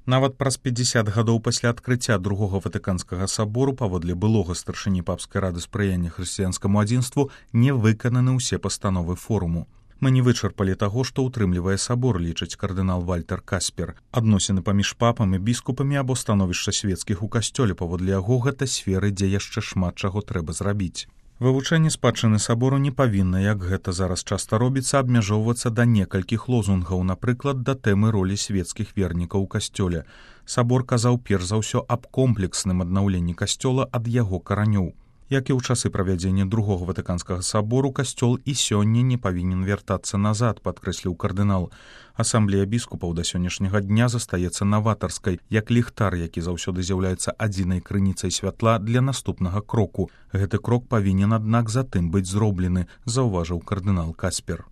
Нават праз 50 гадоў пасля адкрыцця другога ватыканскага сабору паводле былога старшыні папскай рады спрыяння хрысціянскаму адзінству не выкананы ўсе пастановы форуму. Мы не вычарпалі таго, што ўтрымлівае сабор, лічыць кардынал Вальтер Каспер. Адносіны паміж папам і біскупамі або становішча свецкіх у касцёле паводле яго гэта сферы, дзе яшчэ шмат чаго трэба зрабіць. Вывучэнне спадчыны сабору не павінна, як гэта зараз часта робіцца, абмяжоўвацца да некалькіх лозунгаў, напрыклад, да тэмы ролі свецкіх вернікаў у касцёле. Сабор казаў перш за ўсё аб комплексным аднаўленні касцёла ад яго каранёў. Як і ў часы правядзення другога ватыканскага сабору, касцёл і сёння не павінен вяртацца назад, падкрэсліў кардынал. Асамблея біскупаў да сённяшняга дня застаецца наватарскай, як ліхтар, які заўсёды з'яўляецца адзінай крыніцай святла для наступнага кроку. Гэты крок павінен, аднак, затым быць зроблены, заўважыў кардынал Каспер.